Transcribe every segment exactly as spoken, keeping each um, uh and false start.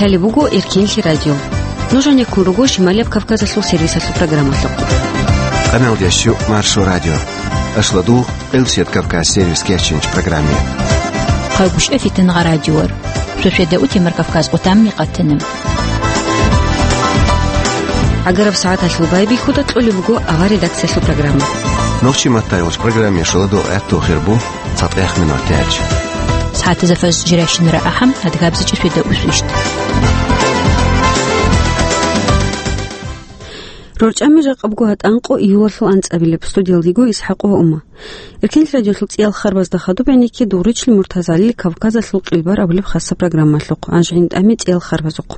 Гьале буго Эркенлъи радио. Нуж гьанеккун руго Шималияб Кавказалъул сервисалъул программалъухъ. Къаналдящу Маршо радио. Ашладу Элсет Кавказ сервис кечинч программе. Хъагушев Фитнагъа радиор. Сосведа утемар Кавказ къутамни къатана. Агараб сагӀаталъул байбихьуда кьолеб буго авар редакциялъул программа. Нохчи маттайолч программе шоладо гӀатту хирбу. ЦатӀех минут тяч. СагӀатазда фаз жиращинара ахӀам, адгабзичӀи светаусвищ. РорчӀами жакъабго гьатӀанкъо июлалъул анцӀабилеб. Студиялдиго Исхьакъ ва Ума. Эркенлъи радиолъул цӀиял харбазда хадуб гӀенекке дугъричил Муртазалил Кавказалъул къилбар абулеб хасса программалъухъ, анжгӀин тӀами цӀиял харбазухъ.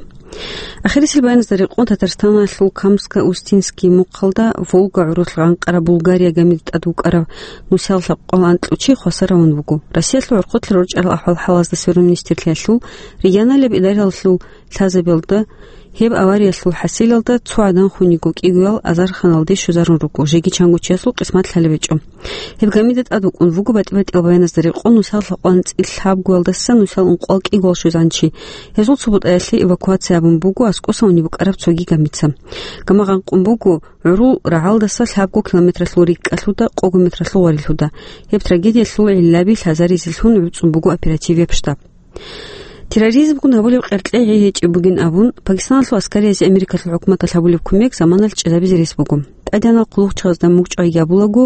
Ахирисел баяназда рекъон Татарстаналъул Камско-Устинский мухъалда Волга гӀурулъ гъанкъараб Булгария гамида тӀад вукӀарав нусал лъабкъоялда анкьучи хвасар равун вуго. Россиялъул гӀорхъулъ рорчӀарал ахӀвал-хӀалазда сверун министрлъиялъул, регионалияб идараялъул лъазабиялда гьеб авариялъул хӀасилалда цо гӀадан хун йиго, кӀигоял азарханалде щвезарун руго, жеги чанго чиясул къисмат лъалеб гьечӀо. Гьеб гамида тӀад вукӀун вуго батӀи-батӀиял баяназда рекъон нусал лъабкъоялда анцӀила лъабгоялдаса нусал ункъоялда кӀигоял щвезанчи. Гьезул цо бутӀаялъе эвакуация гьабун буго аскӀоса унеб букӀараб цоги гамица. Гама гъанкъун буго гӀурул рагӀалдаса лъабго километралъул рикӀкӀалъуда, къого метралъул гъварилъуда. Гьеб трагедиялъул гӀиллаби лъазаризелъун гӀуцӀун буго оперативияб штаб. Терроризмгун гьабулеб къеркьей гьечӀеб бугин абун, Пакистаналъул аскариязде Америкалъул хӀукуматалъ гьабулеб кумек заманалъ чӀезабизе рес буго. ТӀадегӀанал хъулухъчагъазда мугъчӀвайги гьабулаго,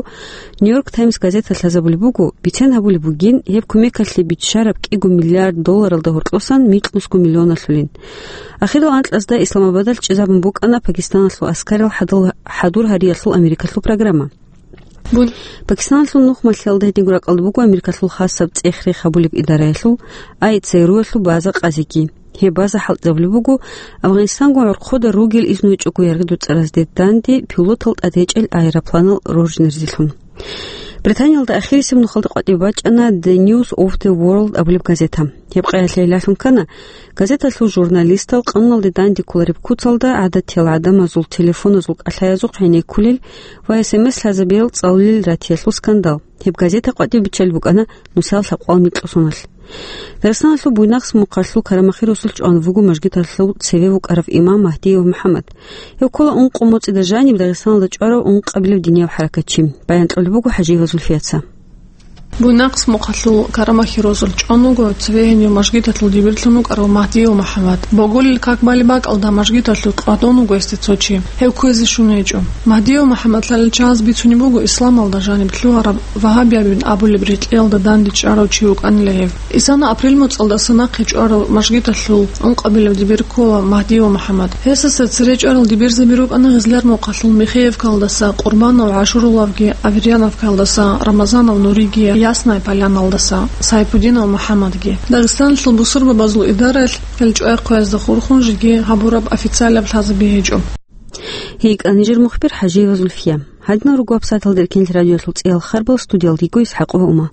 Нью-Йорк Таймс газеталъ лъазабулеб буго, бицен гьабулеб бугин гьеб кумекалъе биччараб кӀиго миллиард долларалда гьоркьосан микьнусго миллионалъулин. Ахирал анкьазда Исламабадалъ чӀезабун букӀана Пакистаналъул аскарал хӀадал-, хӀадур гьариялъул Америкалъул программа. Бу-, Пакистаналъул нухмалъиялда гьединго ракӀалда буго Америкалъул хасаб цӀех-рех гьабулеб идараялъул, ай ЦРУ-ялъул база къазиги. Гьеб база хӀалтӀизабулеб буго Афганистангун гӀорхъода ругел изну гьечӀого яргъи дуцӀаразде данде пилотал тӀадгьечӀел аэропланал роржинаризелъун. Британиялда ахирисеб нухалда къватӀибе бачӀана The News of the World абулеб газета. Гьеб къаялъе гӀиллалъун ккана, газеталъул журналистал къануналде данде кколареб куцалда гӀадатиял гӀадамазул телефоназул кӀалъаязухъ гӀенеккулел ва эс эм эс лъазабиял цӀалулел ратиялъул скандал. Гьеб газета къватӀибе биччалеб букӀана нусал лъабкъоялда микьнусуналъ. Дагъистаналъул Буйнакск мухъалъул Карамахи росулъ чӀван вуго мажгиталъул цеве вукӀарав имам Магьдиев МухӀаммад. Гьев ккола ункъо моцӀида жаниб Дагъистаналда чӀварав ункъабилев динияб хӀаракатчи. Баян кьолеб буго ХӀажиева Зульфияца. Буйнакск мухъалъул Карамахи росулъ чӀван вуго цеве гьенив мажгиталъул дибирлъун вукӀарав Магьдиев МухӀаммад. Боголил как бали бакӀалда мажгиталъухъ кьвадун вуго гьесде цо чи. Гьев кквезе щун гьечӀо. Магьдиев МухӀаммад лъалел чагӀаз бицунеб буго исламалда жаниб лъугьараб вагьабиябин абулеб рекьиялда данде чӀарав чи вукӀанила гьев. Исана апрель моцӀалдаса нахъе чӀварав мажгиталъул ункъабилев дибир ккола Магьдиев МухӀаммад. Гьесдаса цере чӀварал дибирзаби рукӀана Гъизлар мухъалъул Михеевкалдаса, Къурбанов ГӀашуровалги, Аверьяновкалдаса, Рамазанов Нуриги, Ясная Поляналдаса, Сайпудинов МухӀаммадги. Дагъистаналъул бусурбабазул идараялъ гьел чӀвай хъваязда хурхун жеги гьабураб официалаб лъазаби гьечӀо. ГьикӀа нижер мухбир ХӀажиева Зульфия. Гьадинал руго абсатал деркенлъ радиолъул цӀиял харбал, студиялдиго Исхьакъова Ума.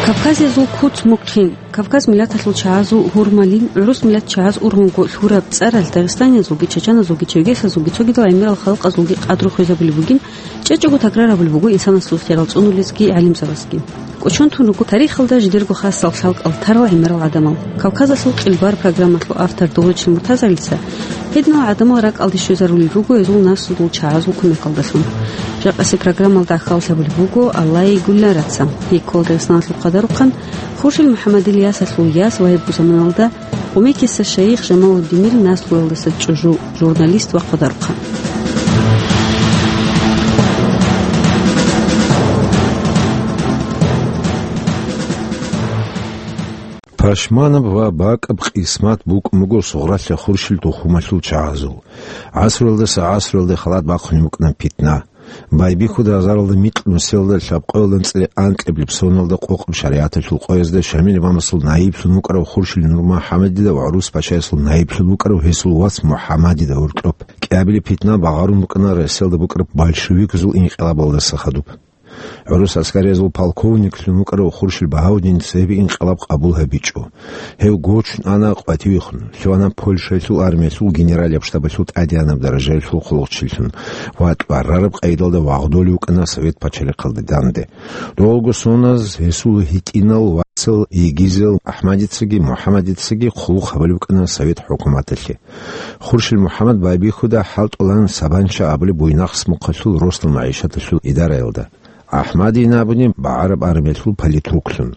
Кавказиязул куц мухъин, Кавказ миллаталъул чагӀазул гьурмалин, гӀурус миллат чагӀаз ургъунго лъураб цӀаралъ дагъистаниязулги, чачаназулги, черкесазулги, цогидал гӀемерал халкъазулги къадру хвезабулеб бугин, чӀечӀого такрар гьабулеб буго инсанасул хирал цӀунулезги гӀалимзабазги. КӀочон тун руго тарихалда жидерго хасал лъалкӀал тарал гӀемерал гӀадамал. Кавказалъул къилбар программалъул автор Дугъричил Муртазалица гьединал гӀадамал ракӀалде щвезарулел руго гьезул наслудул чагӀазул кумекалдалъун. Жакъасеб программалда гӀахьаллъабулеб буго Аллагьи Гуллараца, гьей ккола Дагъистаналъул къадарухъан, Хуршил МухӀаммадил ясалъул яс ва гьеб заманалда Къумекиса шайих Жамалуддинил наслуялдаса чӀужу, журналист ва къадарухъан. Пашманаб ва бакӀаб къисмат букӀун буго Сугъралъа Хуршил тухумалъул чагӀазул. ГӀасруялдаса гӀасруялде халат бахъунеб букӀана питна. Байбихьуда азаралда микьнусиялда лъабкъоялда анцӀила анкьабилеб соналда къокъаб шаригӀаталъул къоязда Шамил имамасул наиблъун вукӀарав Хуршил НурмухӀаммадида ва ГӀурус пачаясул наиблъун вукӀарав гьесул вац МухӀаммадида гьоркьоб кӀиабилеб питна багъарун букӀана Россиялда букӀараб большевикзул инкъилабалдаса хадуб. ГӀурус аскариязул полковниклъун вукӀарав Хуршил Багьаудин цебе инкъалаб къабул гьабичӀо. Гьев гочун ана къватӀивехун, лъугьана Польшаялъул армиялъул генералияб штабалъул тӀадегӀанаб даражаялъул хъулухъчилъун ва тӀварараб къайдалда вагъдолев вукӀана Совет пачалихъалде данде. Долго соназ гьесул гьитӀинал вацал йигизел АхӀмадицаги МухӀаммадицаги хъулухъ гьабулеб букӀана Совет хӀукуматалъе. Хуршил МухӀаммад байбихьуда хӀалтӀулан Сабанча абулеб буйнахъ смухъалъул росдал магӀишаталъул идараялда. АхӀмадин абуни багӀараб армиялъул политруклъун.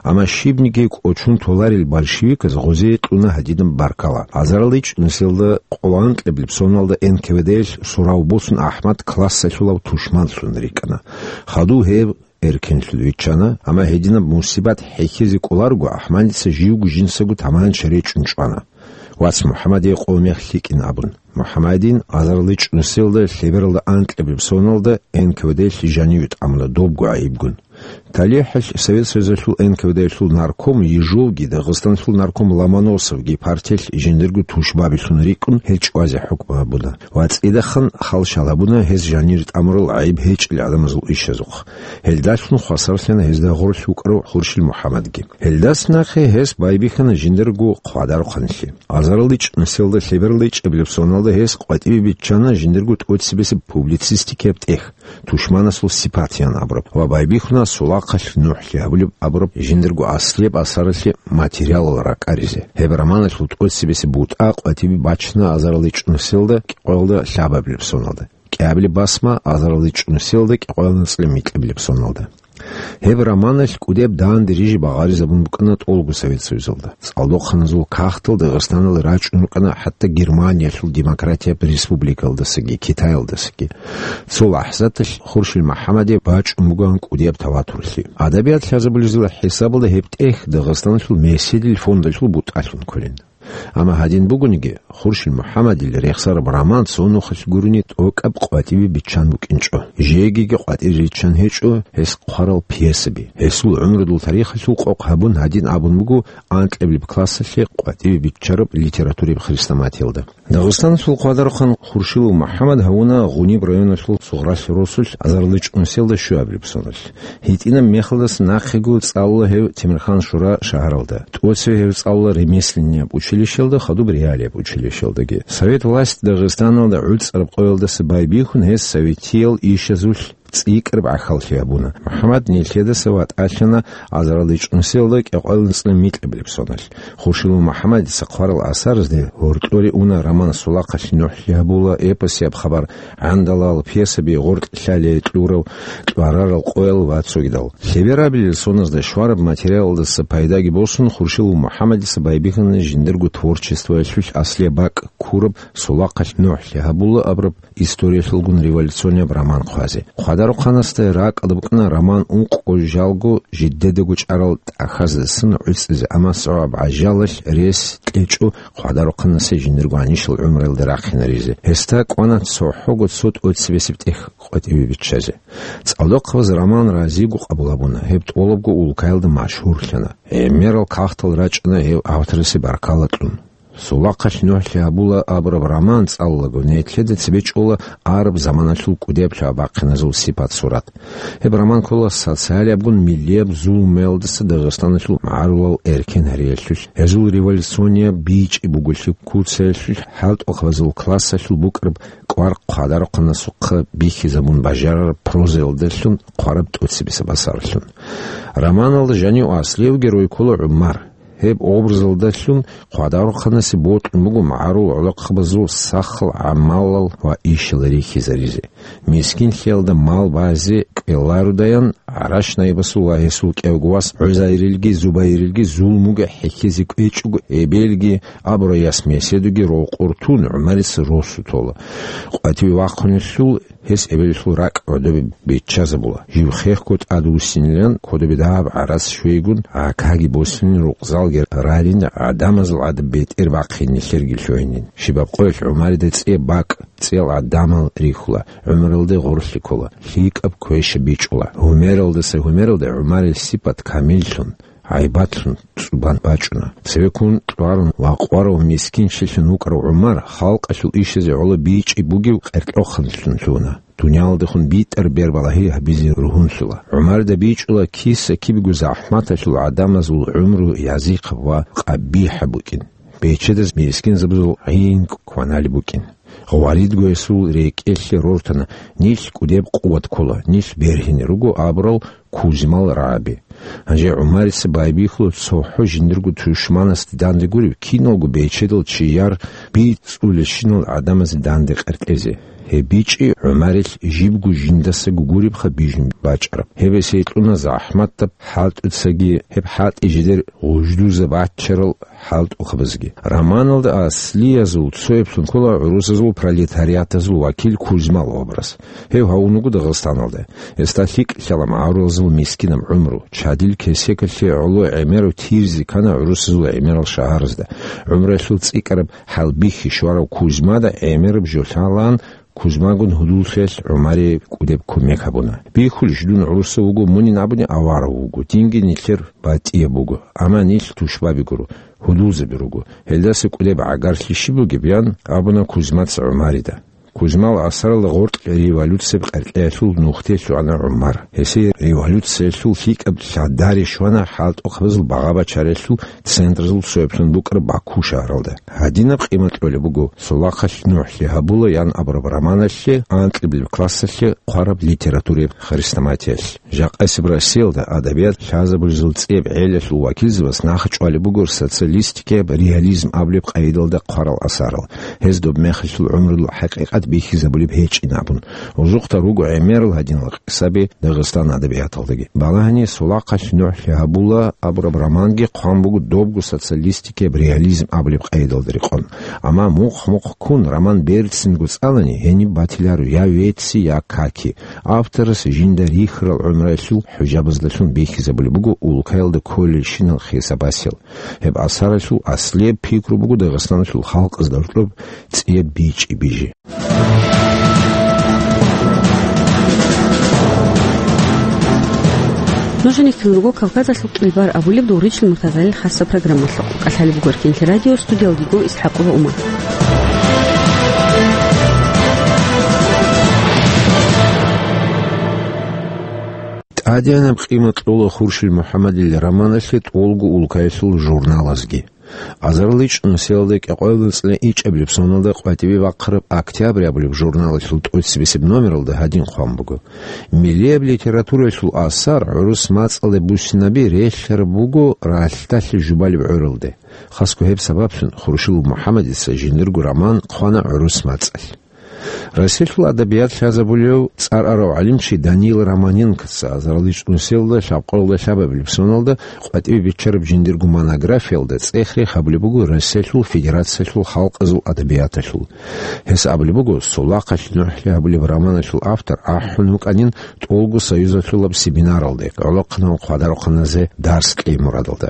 Амма щибниги кӀочон толарел большевиказ гъозие кьуна гьадинаб баркала. Азарилчи нусилда къолоанкьаблеб соналда НКВД-ялъ сурав босун АхӀмад классалъулав тушманлъун рикӀкӀана. Хадув гьеб эркенлъун виччана, амма гьединаб мусибат хӀехьизе кӀоларого АхӀмадица живго жинцаго таманча речӀчӀун чӀвана. Вац МухӀаммадие къо мех лъикӀин абун. МухӀаммадин азарилчи нусилда лъебералда анкьабилеб соналда НКВД-лъ жаниве тӀамуна добго гӀайибгун. ТалихӀалъ Совет Союзалъул НКВД-лъул нарком Ежовги, Дагъистаналъул нарком Ломоносовги партиялъ жиндирго тушбабилъун рикӀкӀун гьел чӀвазе хӀукму гьабуна ва цӀидасан хал-шал гьабуна гьез жаниве тӀамурал гӀайиб гьечӀел гӀадамазул ишазухъ. Гьелдалъун хвасарлъана гьезда гъорлъ вукӀарав Хуршил МухӀаммадги. Гьелдаса нахъе гьес байбихьана жиндирго хъвадарухъанлъи. Азарилчи нусилда лъебералда ичӀабилеб соналда гьес къватӀибе биччана жиндирго тӀоцебесеб публицистикияб тӀехь, «Тушманасул сипат» ян абураб, ва байбихьуна «Сулахъалъ нухӀлъи гьабулеб» абураб жиндирго аслияб асаралъе материалал ракӀаризе. Гьеб романалъул тӀоцебесеб бутӀа къватӀибе бачана азарилчи нусилда кӀикъоялда лъабабилеб соналда. КӀиабилеб басма азарилчи нусилда кӀикъоялда анцӀила микьабилеб соналда. Гьеб романалъ кӀудияб данде рижи багъаризабун букӀана тӀолго Совет Союзалда. ЦӀалдохъаназул кагътал Дагъистаналде рачӀун рукӀана хӀатта Германиялъул демократияб республикаялдасаги, Китаялдасаги. Цо лахӀзаталъ Хуршил МухӀаммадие бачӀун бугоан кӀудияб таватурлъи. Адабият лъазабулезул хӀисабалда гьеб тӀехь Дагъистаналъул меседил фондалъул бутӀалъун кколин. Амма гьадин бугониги, Хуршил МухӀаммадил рехсараб роман цо нухалъ гурони тӀокӀаб къватӀибе биччан букӀинчӀо. Жегиги къватӀире риччан гьечӀо гьес хъварал пьесаби. Гьесул гӀумрудул тарихалъул къокъ гьабун гьадин абун буго анкьабилеб классалъе къватӀибе биччараб литератураяб хрестоматиялда. Дагъистаналъул хъвадарухъан Хуршилов МухӀаммад гьавуна Гъуниб районалъул Сугъралъ росулъ азарилчи нусилда щуабилеб соналъ. ГьитӀинаб мехалдаса нахъего цӀалула гьев Темирхан-Шура шагьаралда. ТӀоцеве гьев цӀалула ремесленнияб училищелда, хадуб реалияб училищелдаги. Совет власть Дагъистаналда гӀуцӀараб къоялдаса байбихьун гьес советиял ишазулъ цӀикӀкӀараб гӀахьаллъи гьабуна. МухӀаммад нилъедаса ватӀалъана азарилчи нусилда кӀикъоялда анцӀила микьабилеб соналъ. Хуршилов МухӀаммадица хъварал асарзде гьоркьоре уна роман «Сулахъалъ нухӀлъи гьабула», эпосияб хабар «ГӀандалал», пьесаби «Гъоркьлъалие кьурав», «ТӀварарал къоял» ва цогидал. Лъеберабилел соназда щвараб материалалдаса пайдаги босун, Хуршилов МухӀаммадица байбихьана жиндирго творчествоялъулъ аслияб бакӀ ккураб «Сулахъалъ нухӀлъи гьабула» абураб историялъулгун революционияб роман хъвазе. Хъвадарухъанасда ракӀалда букӀана роман ункъо жалго жидедаго чӀарал тӀахьаздасан гӀуцӀизе, амма цо гӀажалалъ рес кьечӀо хъвадарухъанасе жиндирго гьанишал гӀумруялда рахъинаризе. Гьесда кӀвана цохӀого цо тӀоцебесеб тӀехь къватӀибе биччазе. ЦӀалдохъабаз роман разиго къабул гьабуна, гьеб тӀолабго улкаялда машгьурлъана. ГӀемерал кагътал рачӀана гьев авторасе баркала кьун. «Сулахъалъ нухӀлъи гьабула» абураб роман цӀалулаго, нилъеда цебе чӀола араб заманалъул кӀудияб лъабабахъиназул сипат-сурат. Гьеб роман ккола социалиябгун миллияб зулмуялдаса Дагъистаналъул магӀарулал эркен гьариялъулъ, гьезул революционияб бичӀчӀи буголъи куцаялъулъ, хӀалтӀухъабазул классалъул букӀараб кӀвар хъвадарухъанасухъа бихьизабун бажарараб прозаялдалъун хъвараб тӀоцебесеб асарлъун. Романалда жанив аслиявги рой ккола ГӀумар. Гьеб образалдалъун хъвадарухъанасе бокьун буго магӀарул гӀолохъабазул сахал гӀамалал ва ишал рихьизаризе. Мискинлъиялда мал базе кӀвелародаян, гӀараш наибасул ва гьесул кӀевго вас ГӀузайрилги Зубайрилги зулмуги хӀехьизе кӀвечӀого, эбелги абурай яс меседуги рокъор тун, ГӀумарица росу тола. Къвативе вахъунелъул гьес эбелалъул ракӀ гӀодобе биччазабула. Жив хехго тӀадвуссинилан кодобе дагьаб гӀарац щвейгун, гӀакаги босилин, рукъзалги ралин, гӀадамазул гӀадаб бетӀер бахъин нилъерги лъугьинин. Щибаб къоялъ ГӀумарида цӀе бакӀ, цӀел гӀадамал рихьула, гӀумралде гъорлъи ккола, лъикӀаб квеша бичӀчӀула. Гьумералдаса гьумералде ГӀумарил сипат камиллъун, гӀайбатлъун цӀубан бачӀуна. Цевеккун кьварун ва къварав мискинчилъун вукӀарав ГӀумар халкъалъул ишазе гӀоло бичӀчӀи бугев къеркьохъанлъун лъугьуна. Дуниялалдехун битӀар бербалагьи гьабизе ругьунлъула. ГӀумарда бичӀчӀула киса-кибего захӀматалъул гӀадамазул гӀумру язихъаб ва къабихӀаб букӀин. Бечедаз мискинзабазул гӀин кваналеб букӀин. Гъваридго гьесул рекӀелъе рортана: «Нилъ кӀудеб къуват ккола, нилъ бергьине руго», — абурал Кузимал рагӀаби. Гьанже ГӀумарица байбихьула цохӀо жиндирго тушманасде данде гуреб киналго бечедал чияр бицӀулелщинал гӀадамазе данде къеркьезе. Гьеб бичӀчӀи ГӀумарил жибго жиндасаго гуребха бижун бачӀараб. Гьеб эсейкьуна захӀматаб хӀалтӀуцаги, гьеб хӀалтӀи жидер гъуждузаб баччарал хӀалтӀухъабазги. Романалда аслиязул цояблъун ккола гӀурусазул пролетариатазул вакил Кузьмал образ. Гьев гьавун вуго Дагъистаналда. Гьесда лъикӀ лъала магӀарулазул мискинаб гӀумру, чадил кесекалъе гӀоло гӀемерав тирзи ккана гӀурусазул гӀемерал шагьаразда. ГӀумруялъул цӀикӀкӀараб хӀалбихьи щварав Кузьмада гӀемераб жо лъалаан, Кузьмагун гьудуллъиялъ ГӀумарие кӀудеб кумек гьабуна. «Бихьулищ, дун гӀурусав вуго, мунин абуни аварав вуго, динги нилъер батӀияб буго, амма нилъ тушбаби гуро, гьудулзаби руго. Гьелдаса кӀудеб гӀагарлъи щиб бугеб?» — ян абуна Кузьмаца ГӀумарида. Кузьмал асаралда гъоркь революцияб къеркьеялъул нухде лъугӀана ГӀумар. Гьесие революциялъул лъикӀаб лъадари щвана хӀалтӀухъабазул багъа-бачаралъул центрзул цояблъун букӀараб Баку шагьаралда. Гьадинаб къимат кьолеб буго «Солахъалъ нухлъи гьабула» ян абураб романалъе анкьабилеб классалъе хъвараб литератураяб хрестоматиялъ. Жакъасеб Россиялда адабият лъазабулезул цӀияб гӀелалъул вакилзабаз нахъ чӀвалеб буго социалистикияб реализм абулеб къайдалда хъварал асарал. Гьез доб мехалъул гӀумрудул хӀакъикъат бихьизабулеб гьечӀин абун, узухъда руго гӀемерал гьадинал къисаби Дагъистан адабияталдаги. Балагьани, «Солахъалъ нухлъи гьабула» абураб романги хъван буго добго социалистикияб реализм абулеб къайдалда рекъон. Амма мухъ-мухъ ккун роман берцинго цӀалани, гьениб батиларо я веци, я каки. Авторас жинда рихьарал гӀумруялъул хӀужабаздалъун бихьизабулеб буго улкаялда кколелщинал хисабасел. Гьеб асаралъул аслияб пикру буго Дагъистаналъул халкъазда гьоркьоб цӀияб бичӀчӀи бижи. Нуж гьанив тун руго Кавказалъул кӀилбар абулеб Дугъричил Муртазалил хасаб программалъухъ. КӀалъалеб буго Эркенлъи радио, студиялдиго ИсхӀакъова Умар. ТӀадегӀанаб къимат кьола Хуршил МухӀаммадил романалъе тӀолго улкаялъул журналазги. Азарилан чӀунусиялда кӀикъоялда цӀикӀкӀабилеб соналда къватӀибе бахъараб «Октябрь» абулеб журналалъул тӀоцебесеб номералда гьадин хъван буго: «Миллияб литератураялъул асар гӀурус мацӀалде буссинаби релълъараб буго ралъдалъе жубалеб гӀуралде». Хасго гьеб сабаблъун Хуршилов МухӀаммадица жиндирго роман хъвана гӀурус мацӀалъ. Россиялъул адабият лъазабулев цӀар арав гӀалимчи Данил Романенкоца азарилан чӀунусиялда лъабкъоялда лъабабилеб соналда къватӀибе биччараб жиндирго монографиялда цӀех-рех гьабулеб буго Россиялъул Федерациялъул халкъазул адабияталъул. Гьес абулеб буго, «Солахъалъ нухлъи гьабулеб» романалъул автор ахӀун вукӀанин тӀолго союзалъулаб семинаралде, гӀолохъанал хъвадарухъаназе дарс кьей мурадалда.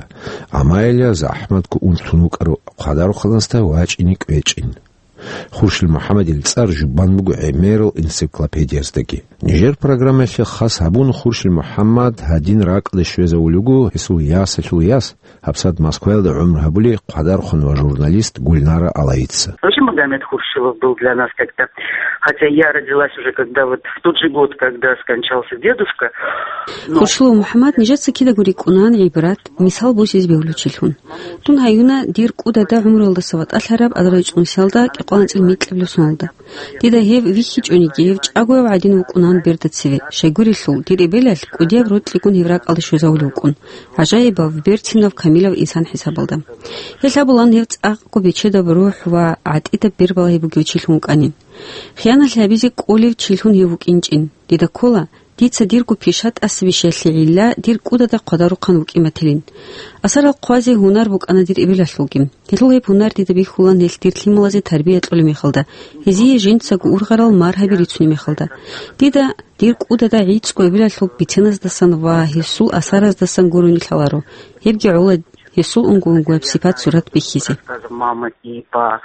Амма гьеле захӀматго унтун вукӀарав хъвадарухъанасда вачӀине кӀвечӀин. Хуршил МухӀаммадил цӀар жубан буго гӀемерал энциклопедияздаги. Нижер программаялъе хас гьабун, Хуршил МухӀаммад гьадин ракӀалде щвезавулев вуго гьесул ясалъул яс, гьабсагӀат Москваялда гӀумру гьабулей хъвадархъун ва журналист Гульнара Алаица. Вообще Магомед Хуршилов был для нас как-то, хотя я родилась уже когда вот в тот же год, когда скончался дедушка, но Хуршилов МухӀаммад нижеца кидаго рикӀкӀунан гӀибрат, мисал босизе бегьулев чилъун. Дун гьаюна дир кӀудада гӀумруялдаса ватӀалъараб азарилан чӀунусиялда кӀикъоялда анцӀила микьабилеб соналда. Дида гьев вихьичӀониги, гьев чӀагояв гӀадин вукӀунан берда цеве, щайгурелъул, дир эбелалъ кӀудияб рокьигун гьев ракӀалде щвезавулев вукӀун, гӀажаибав, берцинав, камилав инсан хӀисабалда. Гьелъ абулан, гьев цӀакъго бечедаб рухӀ ва гӀатӀидаб бербалагьи бугев чилъун вукӀанин. Хияналъи гьабизе кӀолев чилъун гьев вукӀинчӀин. Дида ккола, дица дирго пиша тӀаса бищиялъе гӀилла дир кӀудада хъвадарухъан вукӀин батилин. Асарал хъвазе гьунар букӀана дир эбелалъулги. Гьелъул гьеб гьунар дида бихьулан гьелъ дир лъималазе тарбия кьолеб мехалда, гьезие жинцаго ургъарал маргьаби рицунеб мехалда. Дида дир кӀудада гӀицӀго эбелалъул биценаздасан ва гьесул асараздасан гурони лъаларо, гьебги гӀола гьесул унго-унгояб сипат-сурат бихьизе. Рассказы мамы и по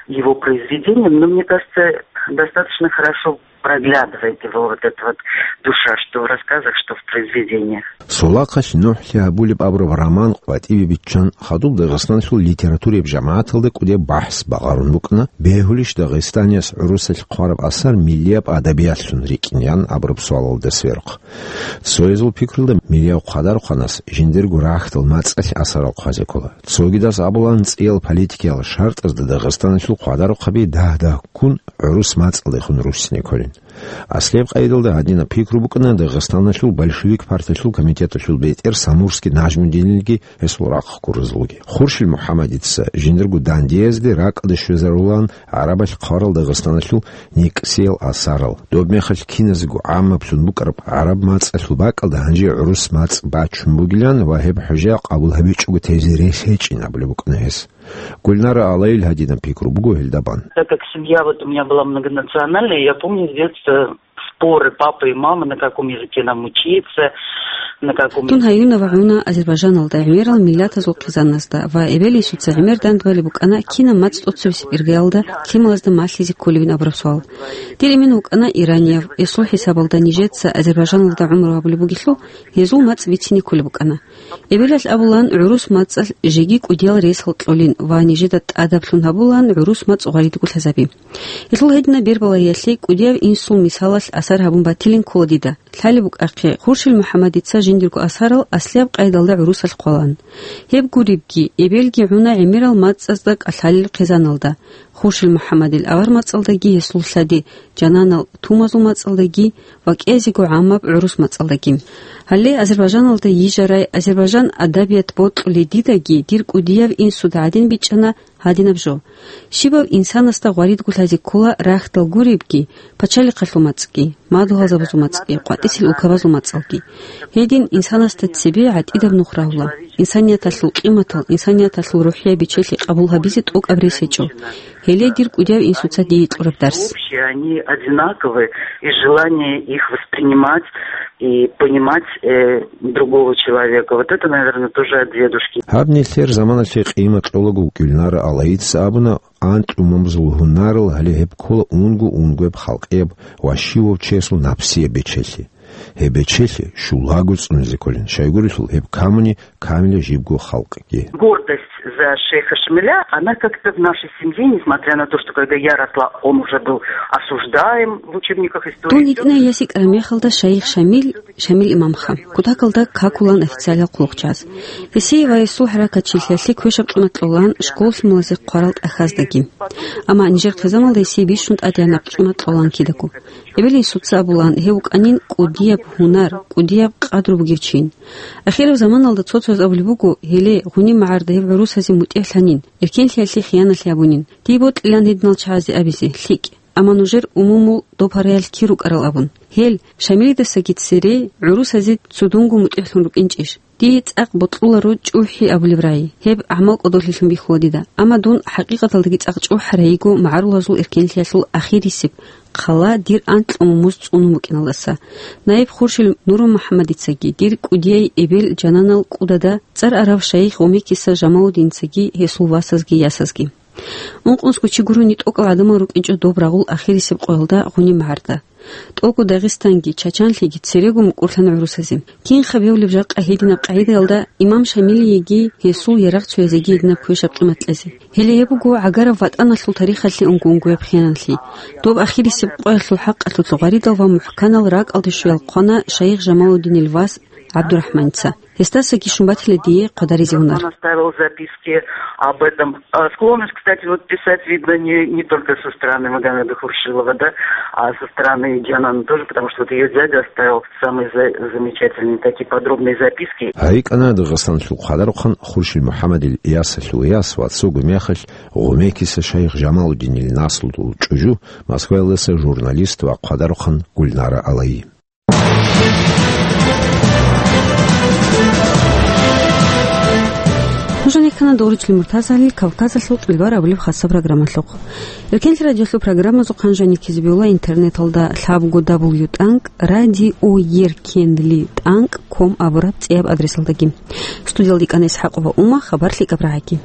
его произведениям, но мне кажется, достаточно хорошо Проглядывает его вот эта вот душа, что в рассказах, что в произведениях. Солахъалъ «НухӀлъи гьабулеб» абураб роман къватӀибе биччан, хадуб Дагъистаналъул литератураяб жамагӀаталда кӀудияб бахӀс багъарун букӀана, бегьулищ Дагъистанияс гӀурусалъ хъвараб асар миллияб адабиятлъун рикӀкӀинеян абураб суалалда сверухъ. Цоязул пикруялда, миллияв хъвадарухъанас жиндирго рахьдал мацӀалъ асарал хъвазе ккола. Цогидаз абулан, цӀиял политикиял шартӀазда Дагъистаналъул хъвадарухъаби дагь-дагь ккун гӀурус мацӀалдехун руссине кколин. Аслияб къайдалда гьадинаб пикру букӀана Дагъистаналъул большевик партиялъул комитеталъул бетӀер Самурский Нажмудинилги гьесул рахъ гурезулги. Хуршил МухӀаммадица жиндирго дандиязде ракӀалде щвезарулан гӀарабалъ хъварал Дагъистаналъул никӀсиял асарал. Доб мехалъ киназего гӀаммаблъун букӀараб гӀараб мацӀалъул бакӀалда гьанже гӀурус мацӀ бачун бугилан ва гьеб хӀужа къабул гьабичӀого тезе рес гьечӀин абулеб букӀана гьес. Гульнара Алаил гьадинаб пикру буго гьелда бан. Так как семья вот у меня была многонациональная, я помню с детства споры папы и мамы, на каком языке нам учиться, на каком Дун гьаюна ва гӀуна Азербайджаналда гӀемерал миллатазул хъизаназда ва эбел-инсуца гӀемер дандбали букӀана, кинаб мацӀ тӀоцебесеб иргаялда лъималазда малъизе кколебин абураб суал. Дир эмен вукӀана иранияв, эсул хӀисабалда нижеца Азербайджаналда гӀумру гьабулеб бугелъул, гьезул мацӀ бицине кколеб букӀана. Эбелалъ абулан, гӀурус мацӀалъ жеги кӀудиял ресал кьолин ва нижеда тӀадаблъун гьабулан гӀурус мацӀ гъваридго лъазаби. Гьелъул гьединаб бербалаялъе кӀудияв инсул мисалалъ асар гьабун батилин ккола дида. Лъалеб букӀахъе, Хуршил МухӀаммадица жиндирго асарал аслияб къайдалда гӀурусалъ хъвалан. Гьеб гуребги, эбелги гӀуна гӀемерал мацӀазда кӀалъалел хъизаналда, Хуршил МухӀаммадил авар мацӀалдаги гьесул лъади жананал тумазул мацӀалдаги ва кӀезего гӀаммаб гӀурус мацӀалдаги. Гьале Азербайджаналда йижарай азербайджан адабият бокьулей дидаги дир кӀудияв инсуда гьадин бичӀчӀана гьадинаб жо. Щибаб инсанасда гъваридго лъазе ккола рахьдал гуребги, пачалихъалъул мацӀги, мадугьалзабазул мацӀги, къватӀисел улкабазул мацӀалги. Гьедин инсанасда цебе гӀатӀидаб нух рагьула. Инсанияталъул къиматал, инсанияталъул рухӀияб бечелъи къабул гьабизе тӀокӀаб рес гьечӀо. Гьеле дир кӀудияв инсуца дие кьураб дарс. Общие, они одинаковые, и желание их воспринимать и понимать, э, другого человека. Вот это, наверное, тоже от дедушки. Гьаб нилъер заманалъе къимат кьолаго Гульнара Алаица абуна, анкьумамзул гьунарал гьале гьеб ккола унго-унгояб халкъияб ва щивав чиясул напсияб бечелъи. Гьеб бечелъи щулаго цӀунизе кколин, щайгурелъул гьеб камуни камила жибго халкъги. Гордость за шейха Шамиля, она как-то в нашей семье, несмотря на то, что когда я росла, он уже был осуждаем в учебниках истории. Дун гьитӀинай ясикӀараб мехалда шайих Шамил, Шамил имамха, кутакалда какулан официалиял хъулухъчияс. Гьесие ва гьесул хӀаракатчилъиялъе квешаб къимат кьолан школ-лъималазе хъварал тӀахьаздаги. Амма нижер хъизамалда гьесие бищун тӀадегӀанаб къимат кколан кидаго. Эбел-инсуца абулан, гьев вукӀанин кӀудияб гьунар, кӀудияб къадру бугев чи. Ахираб заманалда цо-цояз абулеб буго, гьеле, гъуниб магӀарда гьев гӀурусазе мутӀигӀлъанин, эркенлъиялъе хияналъи гьабунин. Дие бокьилан гьединал чагӀазе абизе, лъикӀ, амма нужер умумул доб гьараялъ кир рукӀарал абун. Гьел, Шамилидасаги цере, гӀурусазе цудунго мутӀигӀлъун рукӀинчӀищ? Дие цӀакъ бокьуларо чӀухӀи абулеб рагӀи, гьеб гӀамал кӀодолъилъун бихьула дида, амма дун хӀакъикъаталдаги цӀакъ чӀухӀарайиго магӀарулазул эркенлъиялъул ахирисеб хъала дир анкьго мумуз цӀунун букӀиналдаса. Наиб Хуршил Нурмухьаммадицаги, дир кӀудияй эбел жананал кӀудада цӀар арав шайих Гъумекиса Жамалудинцаги гьесул васазги ясазги. Ункънусго чи гурони тӀокӀал гӀадамал рукӀинчӀо доб рагъул ахирисеб къоялда гъуниб магӀарда. ТӀокӀго Дагъистанги, Чачанлъиги церего мукӀурлъана гӀурусазе. Кинха бевлеб жакъа гьединаб къагӀидаялда имам Шамилиеги гьесул ярагъцоязеги гьединаб квешаб къимат кьезе. Гьеле гьеб буго гӀагараб ватӀаналъул тарихалъе унго-унгояб хиянлъи. Доб ахирисеб къоялъул хӀакъалъулъ гъваридал ва мухӀканал ракӀалде щвеял хъвана шайих Жамалудинил вас ГӀабдурахӀманица. Гьесдасаги щун батила дие хъвадаризе гьунар. Он оставил записки об этом. А, склонность, кстати, вот писать, видно, не, не только со стороны Магомеда Хуршилова, да, а со стороны Джанана тоже, потому что вот её дядя оставил самые за-, замечательные такие подробные записки. ГьайикӀана Дагъистаналъул хъвадарухъан Хуршил МухӀаммадил ясалъул яс ва цого мехалъ Гъумекиса шайих Жамалудинил наслудул чӀужу, Москваялдаса журналист ва хъвадарухъан Гульнара Алаи. Нуж гьанир ккана дов руччули муртазалил Кавказалъул тӀулбар абулеб хасаб программалъухъ. Эркенлъи радиолъул программазухъан жаниб ккезе бегьула интернеталда лъабго дабл ю тӀанкӀ радиоеркенлъи тӀанкӀ ком абураб цӀияб адресалдаги. Студиялда икӀана ИсхӀакъова Ума, хабар лъикӀаб рагӀаги.